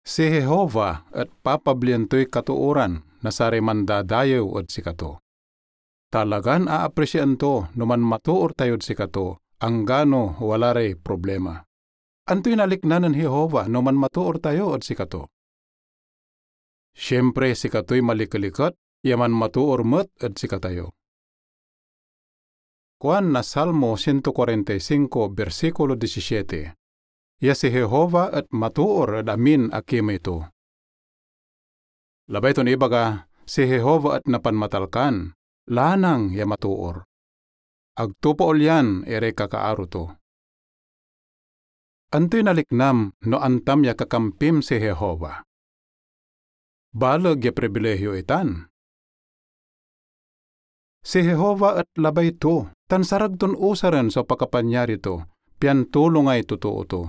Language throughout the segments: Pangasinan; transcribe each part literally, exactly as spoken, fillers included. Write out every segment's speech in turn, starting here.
Si Jehovah et papablian toy katooran na saray mandadayew ed sikato. Talagan aapresiaan to no manmatoor tayod sikato, anggano wala ray problema. Antoy nalikna nen Jehovah no manmatoor tayo ed sikato? Siempre, sikatoy malikeliket ya manmatoor met ed sikatayo. Kuan na Salmo ciento cuarenta y cinco, bersikulo disisiete, ya si Jehovah et matoor ed amin a kimey to. Labay ton ibaga, si Jehovah et napanmatalkan, lanang ya matoor. Ag to paolyan iray kakaaro to. Antoy naliknam no antam ya kakampim si Jehovah? Baleg ya pribilehio itan. Si Jehovah et labay to, tan sarag ton usaren so pakapanyari to, pian tulongay totoo to.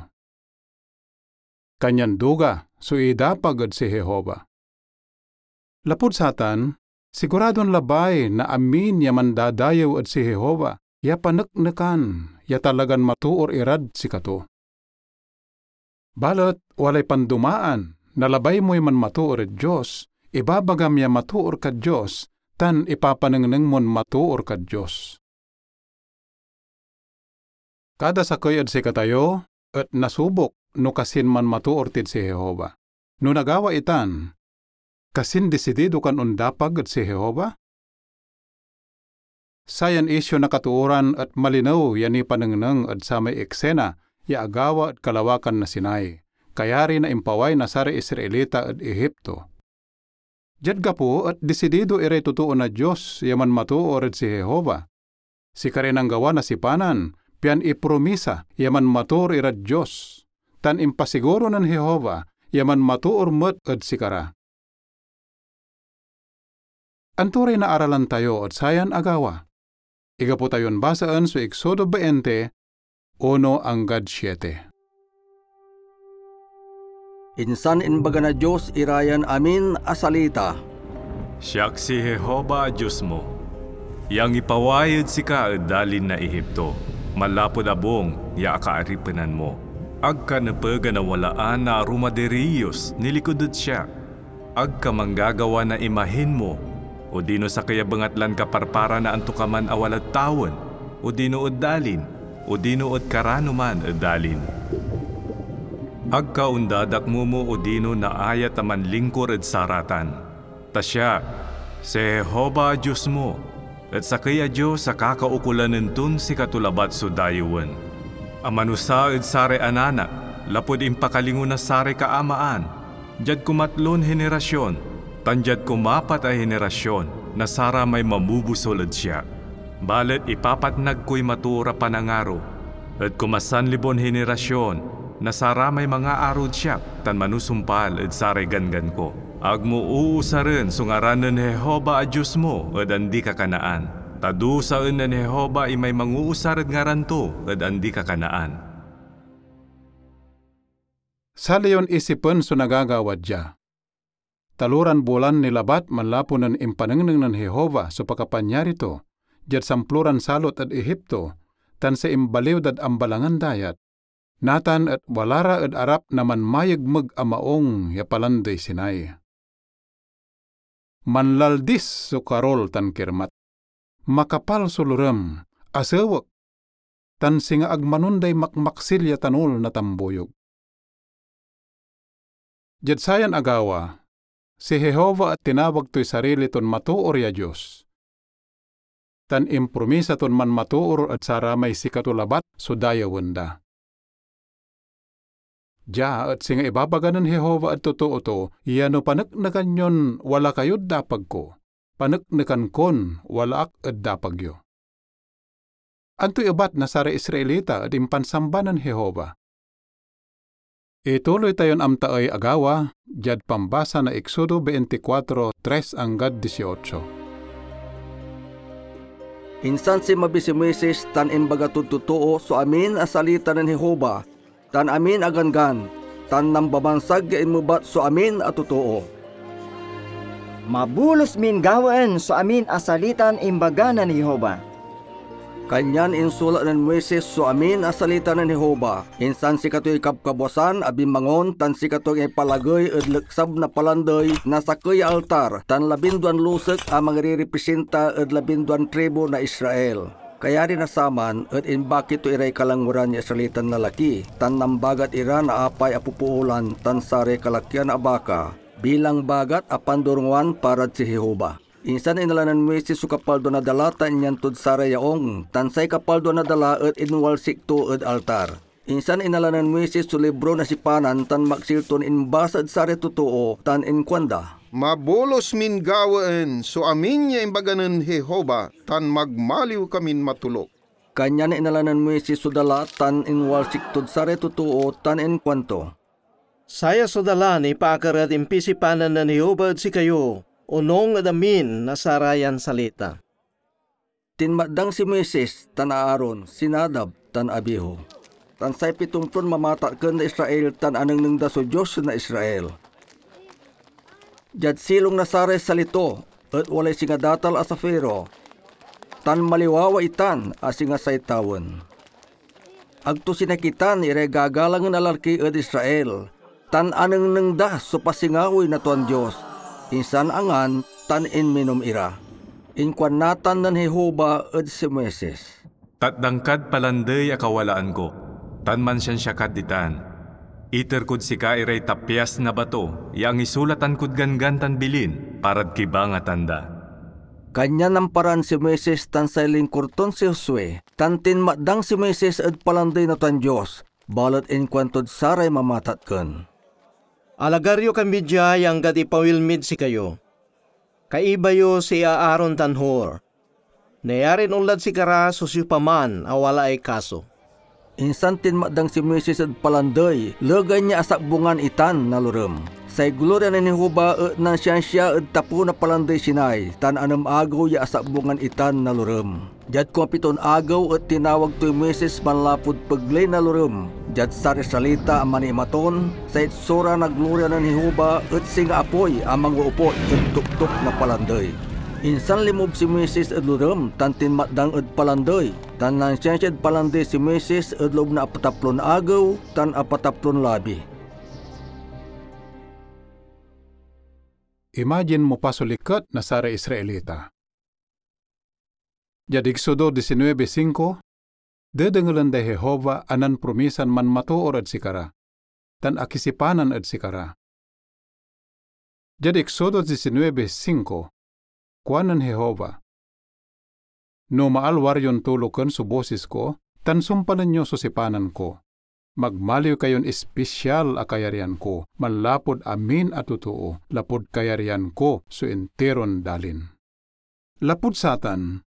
Kanyan duga so idapag ed si Jehovah. Lapud satan, siguradon labay na amin ya mandadayew ed si Jehovah ya paneknekan ya talagan matoor irad sikato. Balet walay pandomaan na labay moy manmatoor ed Dios, ibabagam ya matoor kad Dios, tan ipapanengneng mon matoor kad Dios. Kada sakey ed sikatayo et nasubok no kasin manmatoor tid si Jehovah. No nagawa itan, kasin disidido kan ondapag ed si Jehovah? Sayan isyu na katooran et malinew ya nipanengneng ed samay eksena ya agawa ed kalawakan na Sinai, kayari na impaway na saray Israelita ed Egipto. Diad gapo et disidido iray totoo na Dios ya manmatoor ed si Jehovah. Sikaray nanggawa na sipanan, pian ipromisa ya manmatoor irad Dios, tan impasiguro nen Jehovah ya manmatoor met ed sikara. Anto ray naaralan tayo ed sayan agawa? Igapo tayon basaen so Exodo veinte, uno anggad siete. Insan imbaga na Dios ira yan amin a salita, "Siak si Jehovah a Dios mo, ya angipaway ed sika ed dalin na Egipto, manlapud abung ya akaaripenan mo. Ag ka nepeg a nawalaan na arum a diriyos nilikud ed siak. Ag ka manggagawa na imahin mo, odino sakey a bengatlan kaparpara na antokaman a walad tawen, odino ed dalin, odino ed karano man ed dalin. Ag ka ondadakmomo odino naayat a manlingkor ed saratan. Ta siak, si Jehovah a Dios mo, et sakey a Dios a kakaukolanen ton sikato labat so dayewen, a manusa ed saray anak lapud impakalingo na saray kaamaan, diad kumatlon henerasion, tan diad kumapat a henerasion na saramay mamobusol ed siak. Balet ipapatnag koy matoor a panangaro, ed kumasanlibon henerasion na saramay mangaarod siak tan manusumpal ed saray ganggan ko. Ag mo uusaren so ngaran nen Jehovah a Dios mo ed andi-kakanaan, ta dusaen nen Jehovah imay manguusar ed ngaran to ed andi-kakanaan." Sali yon isipen so nagagawa dia. Taloran bulan ni labat manlapu nen impanengneng nen Jehovah so pakapanyari to diad samploran salot ed Egipto tan say imbaliw dad ambalangan dayat. Natan et wala ra ed arap na manmayegmeg a maung ya Palandey Sinai. Manlaldis so karol tan kirmat. Makapal so lorem, asewek, tan singa ag manonday makmaksil ya tanol na tambuyog. Diad sayan agawa, si Jehovah et tinawag toy sarili ton matoor ya Dios, tan impromisa ton manmatoor ed saramay sikato labat so dayewen da. Dia et singa ibabaga nen Jehovah ed totoo to ya no paneknekan yon wala kayod dapag ko, paneknekan kon wala ak ed dapag yo. Antoy ebat na saray Israelita ed impansamba nen Jehovah? Ituloy tayon amtaey agawa diad pambasa na Exodo veinticuatro, tres anggad dieciocho. Insan sinmabi si Moises tan imbaga tod totoo so amin a salita nen Jehovah, tan amin a ganggan, tan nambabansag ya inmebat so amin a totoo. Mabulos min gawaen so amin a salitan imbaga nen Jehovah. Kanyan insulat nen Moises so amin a salita nen Jehovah. Insan sikatoy kabkabuasan a binmangon tan sikatoy ipalagey ed leksab na palandey na sakey a altar tan labinduan lusek a mangirerepresinta ed labinduan tribu na Israel. Kayari na saman et imbaki to iray kalanguran ya Israelitan lalaki tan nambagat ira na apay a popoolan tan saray kalakian a baka bilang bagat a pandorongan parad si Jehovah. Insan inala nen Moises so kapaldua na dala tan inyantod saray yaung, tan say kapaldua na dala et inwalsik to ed altar. Insan inala nen Moises so libro na sipanan tan maksil ton imbasa ed saray totoo, tan inkuanda, "Mabolus min gawaen so amin ya imbaga nen Jehovah, tan magmaliw kamin matoluk." Kanyan inala nen Moises so dala tan inwalsik tod saray totoo, tan inkuanto, "Saya so dala nipaakar ed impisipanan nen Jehovah ed sikayo, onung ed amin na sarayan salita." Tinmadang si Moises tan Aaron, si Nadab tan Abihu, tan say pitompon mamatakken na Israel tan anengneng da so Dios na Israel. Diad silong na saray sali to et walay singa datal a safiro, tan maliwawa itan a singa say tawen. Ag to sinakitan iray gagalangen a lalaki ed Israel, tan anengneng da so pasingawoy na tuan Dios, insan angan tan inminom ira. Inkuan natan nen Jehovah ed si Moises, "Tatdang kad palandey a kawalaan ko, tan mansiansia kad ditan. Iter kod sika iray tapyas na bato ya angisulatan kod ganggan tan bilin parad kibangatan da." Kanyan namparan si Moises tan say lingkor ton si Josue, tan tinmadang si Moises ed palandey na tuan Dios, balet inkuantod saray mamatatakken, "Alagar yo kami dia ya anggad ipawil mid sikayo. Kaiba yo si Aaron tan Hur. Nayarin onlad sikara so siopaman a walaay kaso." Insan tinmadang si Moises ed palandey, legan ya asakbungan itan na lorem. Say gloria nen Jehovah et nansiansia ed tapew na palandey Sinai, tan anem agew ya asakbungan itan na lorem. Diad kumapiton agew et tinawag toy Moises manlapud pegley na lorem. Diad saray salita a manimaton, say itsura na gloria nen Jehovah et singa apoy a mangoopot ed toktok na palandey. Insan linmoob si Moises ed lorem tan tinmadang ed palandey, tan nansiansiad palandey si Moises ed loob na apataplon agew tan apataplon labi. Imagine mo pa so liket na saray Israelita. Diad Exodo diecinuebe cinco, dedengelen day Jehovah a nanpromisan manmatoor ed sikara, tan akisipanan ed sikara. Diad Exodo diecinuebe cinco, kuanen Jehovah, "No maalwar yon tuloken so bosis ko, tan sumpalen yo so sipanan ko, magmaliw kayon ispisial a kayaryan ko manlapud amin a totoo, lapud kayaryan ko so intiron dalin." Lapud satan,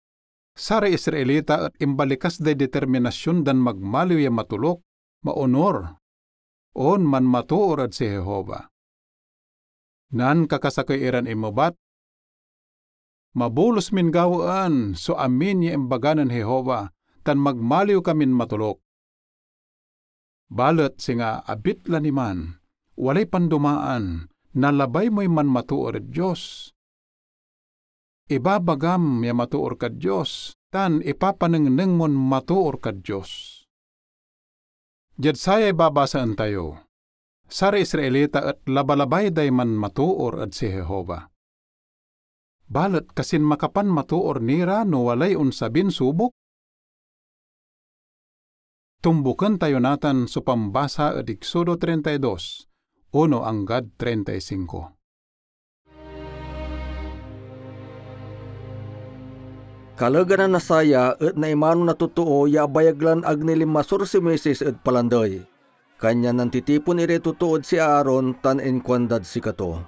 saray Israelita et imbalikas day determinasion dan magmaliw ya matoluk, maonur, on manmatoor ed si Jehovah. Nankakasakey iran inmebat, "Mabolus min gawaen so amin ya imbaga nen Jehovah, tan magmaliw kamin matoluk." Balet singa abitla ni man, walay pandomaan, nalabay moy manmatoor ed Dios. Ibabagam ya matoor kad Dios, tan ipapanengneng mon matoor kad Dios. Diad sayay babasaen tayo, saray Israelita et labalabay day manmatoor ed si Jehovah. Balet kasin makapanmatoor ni ra no walay onsabin subok? Tumboken tayo natan so pambasa ed Exodo treinta y dos, uno anggad treinta y cinco. Kalegan na saya et naimano na totoo ya abayag lan ag ni linmasor si Moises ed palandey. Kanyan nantitipon iray totoo ed si Aaron tan inkuandad sikato,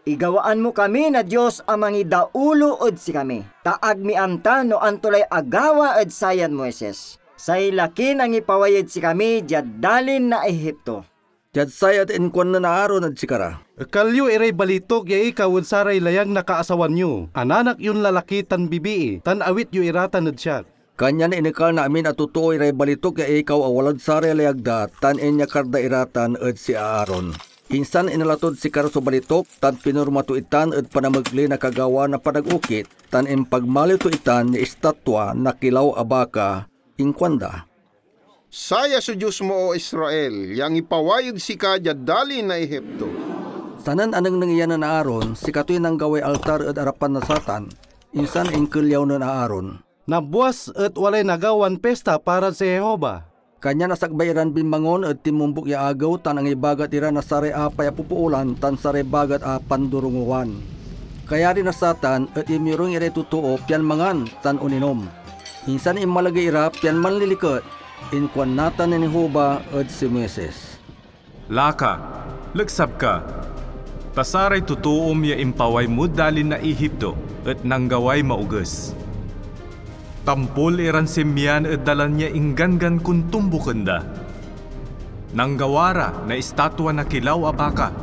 "Igawaan mo kami na Dios a mangidaulo ed sikami, ta ag mi amta no anto lay agawa ed sayan Moises, say lakin angipaway ed sikami diad dalin na Egipto." Diad saya et inkuan nen Aaron ed sikara, "Ekal yo iray balituk ya ikaw ed saray layag na kaasawan yo, ananak yon lalaki tan bibii, tan awit yo ira tan ed siak." Kanyan inekal na amin a totoo iray balituk ya ikaw a walad saray layag da, tan inyakar da ira tan ed si Aaron. Insan inala tod sikara so balitok tan pinorma to itan ed panamegley na kagawa na panag-okit, tan impagmaliw to itan ya istatwa na kilaw a baka. Inkuanda, "Saya so Dios mo, O Israel, ya angipaway ed sika diad dalin na Egipto." Sanen anengneng ya nen Aaron, sikatoy nanggaway altar ed arapan na satan, insan inkelyaw nen Aaron. Nabuas et walay nagawan pista parad si Jehovah. Kanyan asakbay iran binmangon ed tinmombuk ya agew tan angibagat ira na saray apay a popoolan tan saray bagat a pandorongowan. Kayari na satan et inmirung iray totoo pian mangan tan oninom. Insan inmalagey ira pian manliliket. Inkuan natan nen Jehovah ed si Moises, "Laka, leksab ka, ta saray totoom ya impaway mod dalin na Egipto et nanggaway maoges. Tampol iran sinmian ed dalan ya ingganggan kon tombuken da. Nanggawa ra na istatwa na kilaw a baka,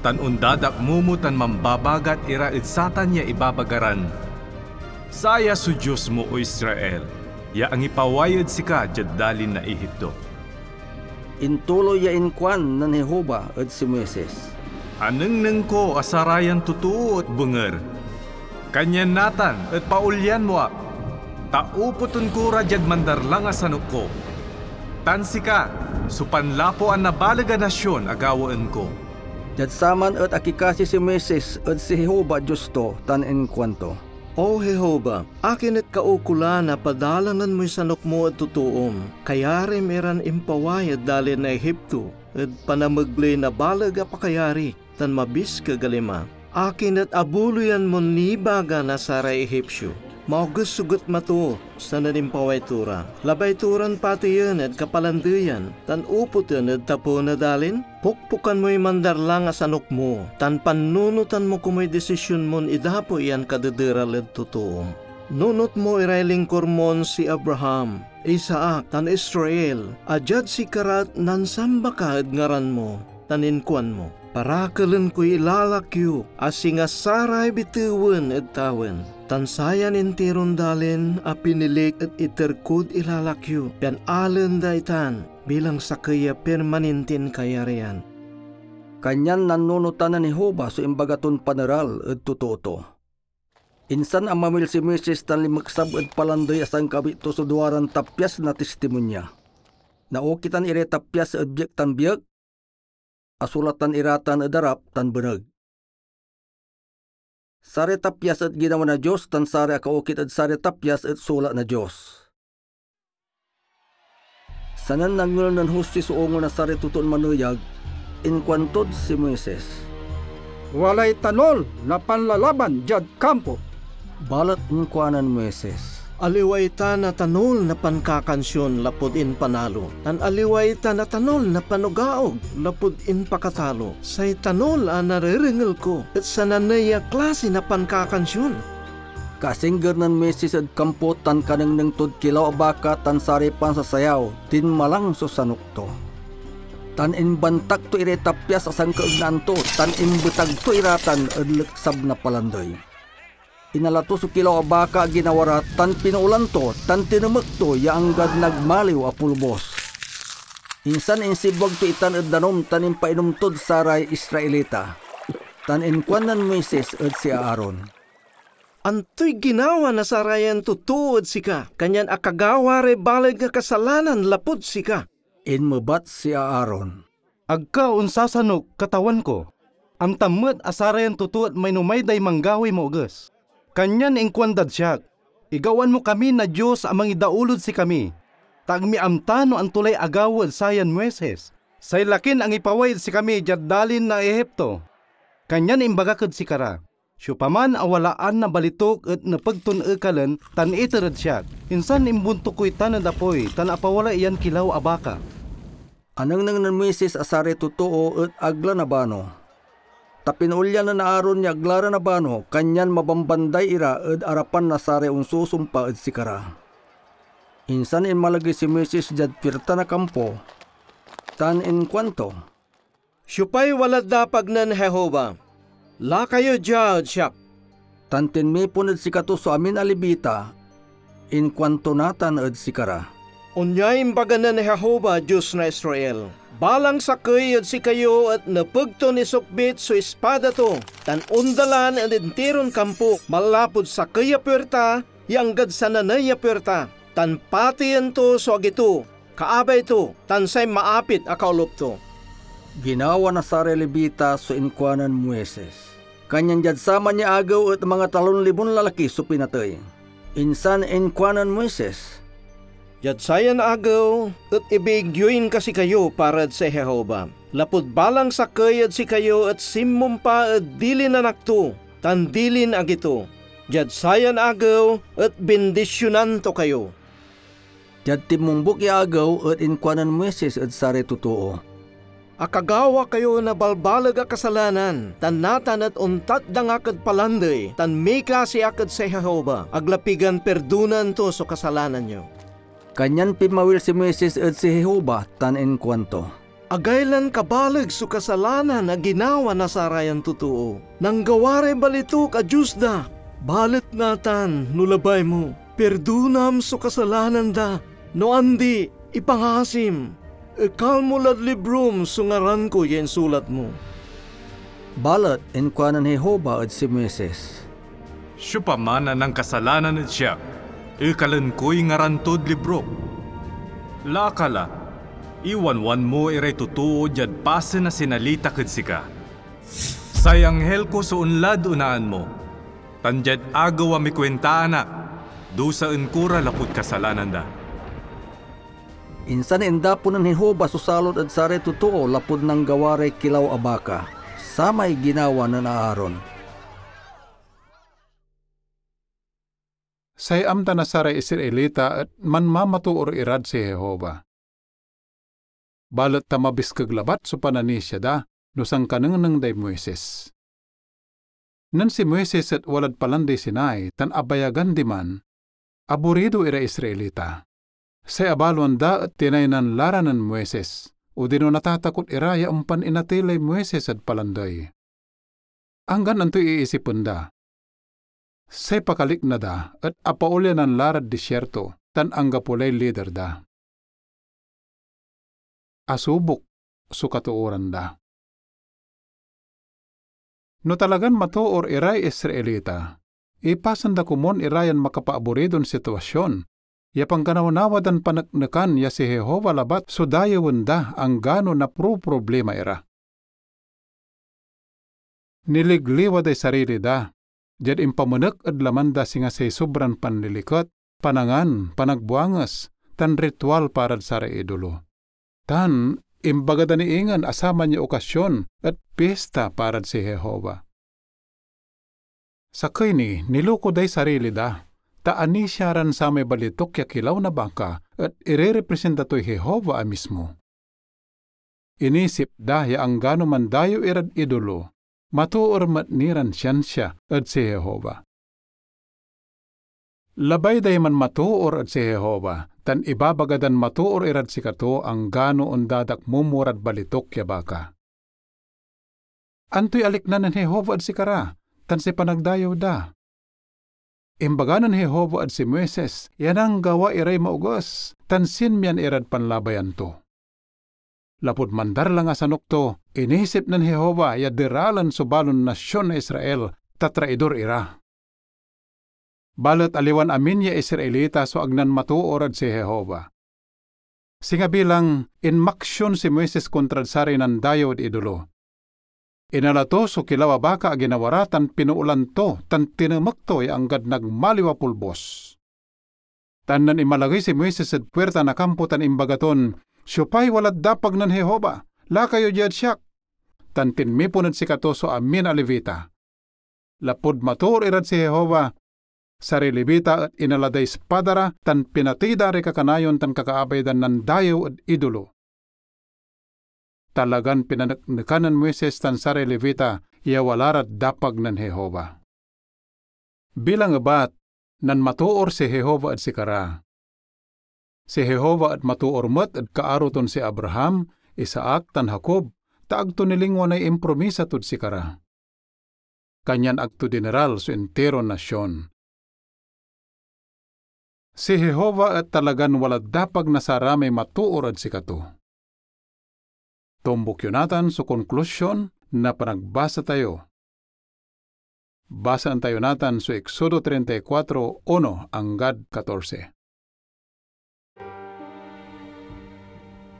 tan ondadakmomo tan mambabagat ira ed satan ya ibabaga ran, 'Saya so Dios mo, O Israel, ya angipaway ed sika diad dalin na Egipto.'" Intuloy ya inkuan nen Jehovah ed si Moises, "Anengneng ko a sarayan totoo et benger. Kanyan natan et paolyan mo ak, ta upoten ko ra diad mandarlang a sanok ko. Tan sika so panlapuan na baleg a nasion a gawaen ko." Diad saman et akikasi si Moises ed si Jehovah Dios to tan inkuanto, "O Jehovah, akin et kaukolan a padalanen moy sanok mo ed totoom? Kayarim iran impaway ed dalin na Egipto ed panamegley na baleg a pakayari tan mabiskeg a lima. Akin et abuloyan mon nibaga na saray Egipsio? Maoges so getma to, sanen impaway to ra. Labay to ran pateyen ed kapalandeyan tan upoten ed tapew na dalin? Pokpokan moy mandarlang a sanok mo, tan panunotan mo komoy disision mon idapo yan kadederal ed totoom. Nunot mo iray lingkor mon si Abraham, Isaac, tan Israel, a diad sikara et nansamba ka ed ngaran mo, tan inkuan mo, 'Parakelen koy ilalak yo a singa saray bitewen ed tawen.' Tan sayan intiron dalin a pinilik et iter kod ilalak yo, pian alen da itan bilang sakey ya permanintin kayarian." Kanyan nannunotan nen Jehovah so imbaga ton paneral ed totoo to. Insan amamil si Moises tan linmeksab ed palandey a sankawit to so duaran tapyas na tistimonia. Naokitan iray tapyas ed biek tan biek, asulatan ira tan ed arap tan beneg. Saray tapyas et ginawa na Dios, tan saray akaokit ed saray tapyas et sulat na Dios. Sanen nangel nen Jose so ongol na saray totoon maneyag, inkuantod si Moises, "Walay tanol na panlalaban diad kampo." Balet inkuanen Moises, "Aliwa itan a tanol na pankakansion lapud impanalo, tan aliwa itan a tanol na panogaog lapud impakatalo. Say tanol a narerengel ko et sananey ya klasi na pankakansion." Kasingger nen Moises ed kampo tan kanengneng tod kilaw a baka tan saray pansasayaw, dinmalang so sanok to. Tan imbantak to iray tapyas a sankaegnaan to, tan imbetag to ira tan ed leksab na palandey. Inala to so kilaw a baka a ginawa ra tan pinoolan to, tan tinemek to ya anggad nagmaliw a polbos. Insan insibwag to itan ed danum tan impainom tod saray Israelita. Tan inkuan nen Moises ed si Aaron, "Antoy ginawa na sarayan totoo ed sika, kanyan akagawa ray baleg a kasalanan lapud sika?" Inmebat si Aaron, "Ag ka onsasanok, katawan ko. Amtam met a sarayan totoo et mainomay day manggawaay maoges. Kanyan inkuandad siak, 'Igawaen mo kami na Dios a mangidaulod sikami, ta ag mi amta no anto lay agawa ed sayan Moises, say lakin angipaway ed sikami diad dalin na Egipto.' Kanyan imbagak ed sikara, 'Siopaman a walaan na balitok et nepeg ton ekalen tan iter ed siak.' Insan imbuntok ko itan ed apoy tan apawalay yan kilaw a baka." Anengneng nen Moises a saray totoo et ag la nabano. Ta pinoolyan nen Aaron ya ag la ra nabano, kanyan mabambanday ira ed arapan na saray onsusumpa ed sikara. Insan inmalagey si Moises diad puirta na kampo, tan inkuanto, "Siopay walad dapag nen Jehovah? Laka yo dia ed siak." Tan tinmipon ed sikato so amin a Levita. Inkuanto natan ed sikara, Onyay imbaga nen Jehovah, Dios na Israel: Balang sakey ed sikayo et nepeg ton isukbit so ispada to, tan ondalan ed intiron kampo, manlapud sakey a puirta ya anggad sananey a puirta, tan pateyen to so agi to, kaabay to, tan say maapit a kaolop to. Ginawa na saray Levita so inkuanen Moises. Kanyan diad saman ya agew et mangatalon libon lalaki so pinatey. Insan inkuanen Moises, "Diad sayan agew et ibiig yoy inkasikayo para ed si Jehovah, lapud balang sakey ed sikayo et sinmumpa ed dilin anak to tan dilin agi to. Diad sayan agew et bindisionan to kayo." Diad tinmombuk ya agew et inkuanen Moises ed saray totoo, "Akagawa kayo na balbaleg a kasalanan, tan natan et ontatdang ak ed palandey, tan mikasi ak ed say Jehovah, agla pigan pirdonan to so kasalanan yo." Kanyan pinmawil si Moises ed si Jehovah tan inkuanto, "Agaylan kabaleg so kasalanan a ginawa na sarayan totoo. Nanggawa ray balituk a dios da. Balet natan, no labay mo, pirdonam so kasalanan da. No andi, ipangasim. Ekal mo lad librom so ngaran ko ya insulat mo." Balet inkuanen Jehovah ed si Moises, "Siopaman a nankasalanan ed siak, ekalen koy ngaran tod librok. Laka la, iwanwan mo iray totoo diad pasen a sinalitak ed sika. Say anghel ko so onlad onaan mo, tan diad agew a mikuentaan ak, dusaen ko ra lapud kasalanan da." Insan indapo nen Jehovah so salot ed saray totoo lapud nanggawa ray kilaw a baka, samay ginawa nen Aaron. Say amta na saray Israelita et manmamatoor irad si Jehovah. Balet ta mabiskeg labat so pananisia da no sankanengneng day Moises. Nen si Moises et walad Palandey Sinai tan abayagan diman, aburido iray Israelita. Say abaloan da et tinaynan la ra nen Moises, odino natatakot ira ya ompan inatey lay Moises ed palandey. Anggan antoy iisipen da. Say pakalikna da et apaolyanan la rad desierto tan anggapo lay lider da. Asubok so katooran da. No talagan matoor iray Israelita, ipasen da komun ira yan makapaaburidon sitwasion ya pankanawnawa dan paneknekan ya si Jehovah labat so dayewen da anggano naproproblima ira. Niligliwa day sarili da diad impamenek ed laman da, singa say sobran panliliket, panangan, panagbuanges, tan ritual parad saray idolo. Tan imbaga da ni ingen a saman ya okasion et pista parad si Jehovah. Sakey ni, niloko day sarili da, ta anisia ran samay balituk ya kilaw na baka et irerepresenta toy Jehovah a mismo. Inisip da ya anggano mandayew irad idolo, matoor met ni ran siansia ed si Jehovah. Labay day manmatoor ed si Jehovah, tan ibabaga dan matoor irad sikato anggano ondadakmomo rad balituk ya baka. Antoy alikna nen Jehovah ed sikara, tan say panagdayew da? Imbaga nen Jehovah ed si Moises ya nanggawa iray maoges, tan sinmian irad panlabayan to. Lapud mandarlang a sanok to, inisip nen Jehovah ya deralen so balon nasion na Israel, ta traidor ira. Balet aliwan amin ya Israelita so ag nanmatoor ed si Jehovah. Singa bilang, inmaksion si Moises kontrad saray nandayew ed idolo. Inala to so kilaw a baka a ginawa ra tan pinoolan to tan tinemek to ya anggad nagmaliw a polbos. Tan nen inmalagey si Moises ed puirta na kampo tan imbaga ton, "Siopay walad dapag nen Jehovah? Laka yo diad siak!" Tan tinmipon ed sikato so amin a Levita. Lapud matoor irad si Jehovah, saray Levita et inala day ispada ra tan pinatey da ray kakanayon tan kakaabay dan nandayew ed idolo. Talagan pinaneknekan nen Moises tan saray Levita ya wala rad dapag nen Jehovah. Bilang ebat, nanmatoor si Jehovah ed sikara. Si Jehovah et matoor met ed kaaro ton si Abraham, Isaac, tan Jacob, ta ag to nilingwanay impromisa tod sikara. Kanyan ag to dineral so intiron nasion. Si Jehovah et talagan walad dapag na saramay matoor ed sikato. Tombuk yo natan so konklusion na panagbasa tayo. Basaen tayo natan so Exodo treinta y cuatro uno anggad katorse.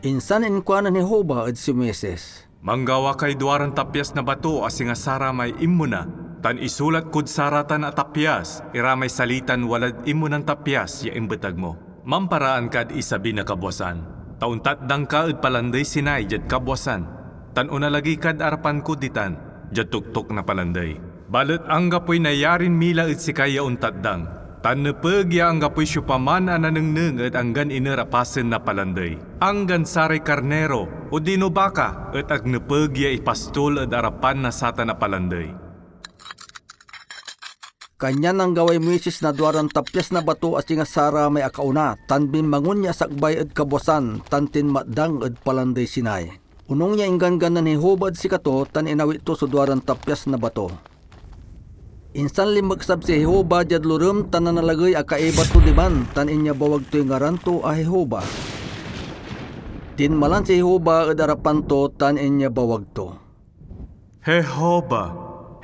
Insan inkuanen Jehovah ed si Moises, "Manggawa kay duaran tapyas na bato a singa saramay inmona, tan isulat kod saratan a tapyas iramay salitan walad inmonan tapyas ya imbetag mo. Mamparaan kad isabi na kabwasan, ta ontatdang ka ed Palandey Sinai diad kabwasan, tan onalagey kad arapan ko ditan, diad toktok na palandey. Balet anggapoy nayarin mila ed sika ya ontatdang, tan nepeg ya anggapoy siopaman a nanengneng ed anggan iner a pasen na palandey, anggan saray karniro odino baka et ag nepeg ya ipastol ed arapan na satan a palandey." Kanyan nanggaway Moises na duaran tapyas na bato a singa saramay akaona, tan binmangon ya asakbay ed kabwasan tan tinmadang ed Palandey Sinai. Onung ya ingganggan nen Jehovah ed sikato tan inawit to so duaran tapyas na bato. Insan linmeksab si Jehovah diad lorem tan nanalagey a kaiba to diman tan inyabawag toy ngaran to a Jehovah. Dinmalan si Jehovah ed arapan to tan inyabawag to, "Jehovah,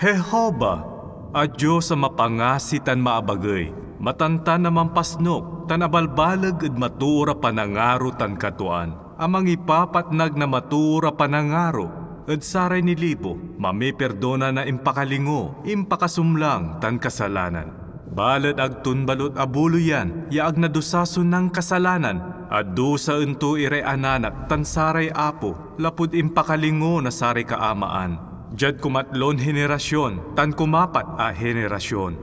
Jehovah, a Dios a mapangasi tan maabagey, matantan a mampasnok, tan abalbaleg ed matoor a panangaro tan katuaan, a mangipapatnag na matoor a panangaro ed saray nilibo, mamipirdona na impakalingo, impakasumlang, tan kasalanan. Balet ag ton balot abuloyan ya ag nadusa so nankasalanan, a dusaen to iray ananak tan saray apo lapud impakalingo na saray kaamaan, diad kumatlon henerasion tan kumapat a henerasion."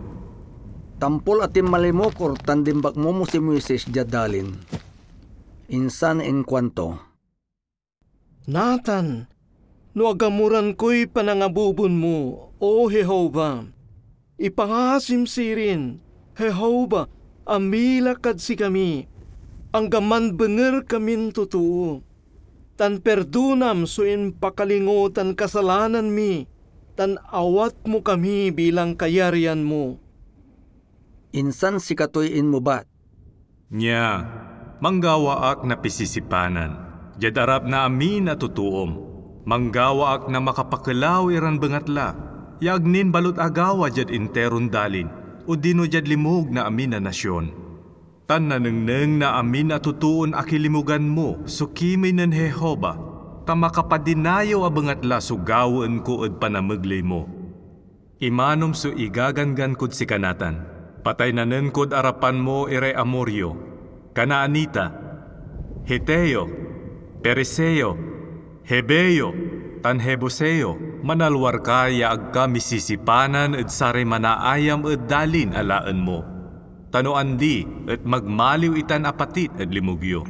Tampol a tinmalimukor tan dinbakmomo si Moises diad dalin. Insan inkuanto, "Natan, no agamuran koy panangabubon mo, O Jehovah, ipangasim sirin, Jehovah, a mila kad sikami, anggaman benger kamin totoo, tan pirdonam so impakalingo tan kasalanan mi, tan awat mo kami bilang kayaryan mo." Insan sikatoy inmebat, "Nia, manggawa ak na pisisipanan diad arap na amin a totoom. Manggawa ak na makapakelaw iran bengatla ya ag nin balot agawa diad interon dalin odino diad limug na amin a nasion. Tan nanengneng na amin a totoon akilimugan mo so kimey nen Jehovah, ta makapadinayew a bengatla so gawaen ko ed panamegley mo. Imanom so igaganggan kod sika natan: pataynanen kod arapan mo iray Amorio, Canaanita, Heteo, Periseo, Heveo, tan Jebuseo. Manalwar ka ya ag ka misisipanan ed saray manaayam ed dalin alaen mo, ta no andi et magmaliw itan a patit ed limug yo.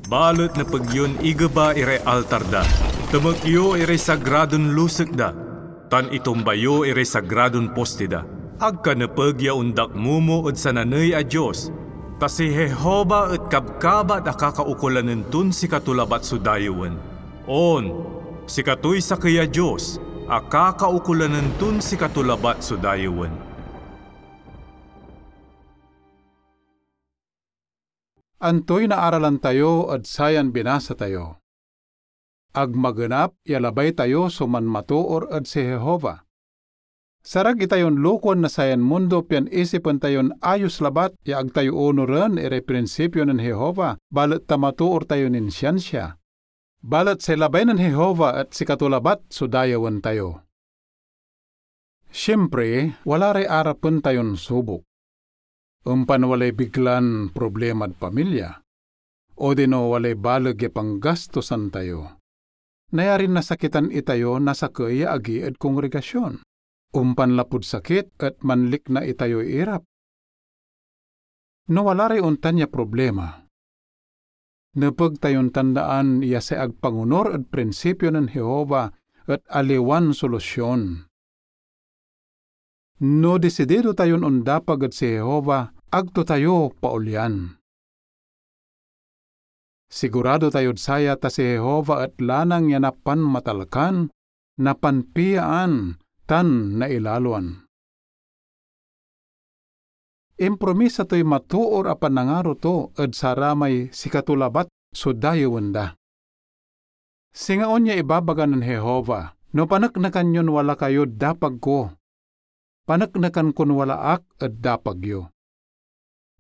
Balet nepeg yon igeba iray altar da, temek yo iray sagradon lusek da, tan itumba yo iray sagradon poste da. Ag ka nepeg ya ondakmomo ed sananey a dios, ta si Jehovah et kabkabat a kakaukulanen ton sikato labat so dayewen. On, sikatoy sakey a Dios a kakaukulanen ton sikato labat so dayewen." Antoy naaralan tayo ed sayan binasa tayo? Ag magenap ya labay tayo so manmatoor ed si Jehovah. Sarag itayon lokoen na sayan mundo pian isipen tayon ayos labat ya ag tayo onuren iray prinsipio nen Jehovah, balet ta matoor tayo nin siansia. Balet say labay nen Jehovah et sikato labat so dayewen tayo. Siempre, wala ray arapen tayon subok. Ompan walay biglan problemad pamilya, odino walay baleg ya panggastosan tayo. Nayarin nasakitan itayo na sakey ya agi ed kongregasion. Ompan lapud sakit et manlikna itayoy irap. No wala ray ontan ya problema, nepeg tayon tandaan ya say ag pangonur ed prinsipio nen Jehovah et aliwan solusion. No disidido tayon ondapag ed si Jehovah, ag to tayo paolyan. Sigurado tayod saya ta si Jehovah et lanang ya napanmatalkan, napanpiaan, tan nailaloan. impromisa toy matoor a panangaro to ed saramay sikato labat so dayewen da. Singa onya ibabaga nen Jehovah, "No paneknekan yon wala kayod dapag ko, paneknekan kon wala ak ed dapag yo."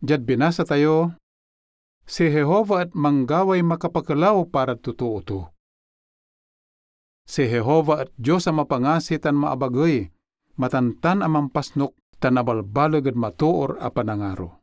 Diad binasa tayo, si Jehovah et manggaway makapakelaw parad totoo to. Si Jehovah et Dios a mapangasi tan maabagey, matantan a mampasnok, tan abalbaleg ed matoor a panangaro.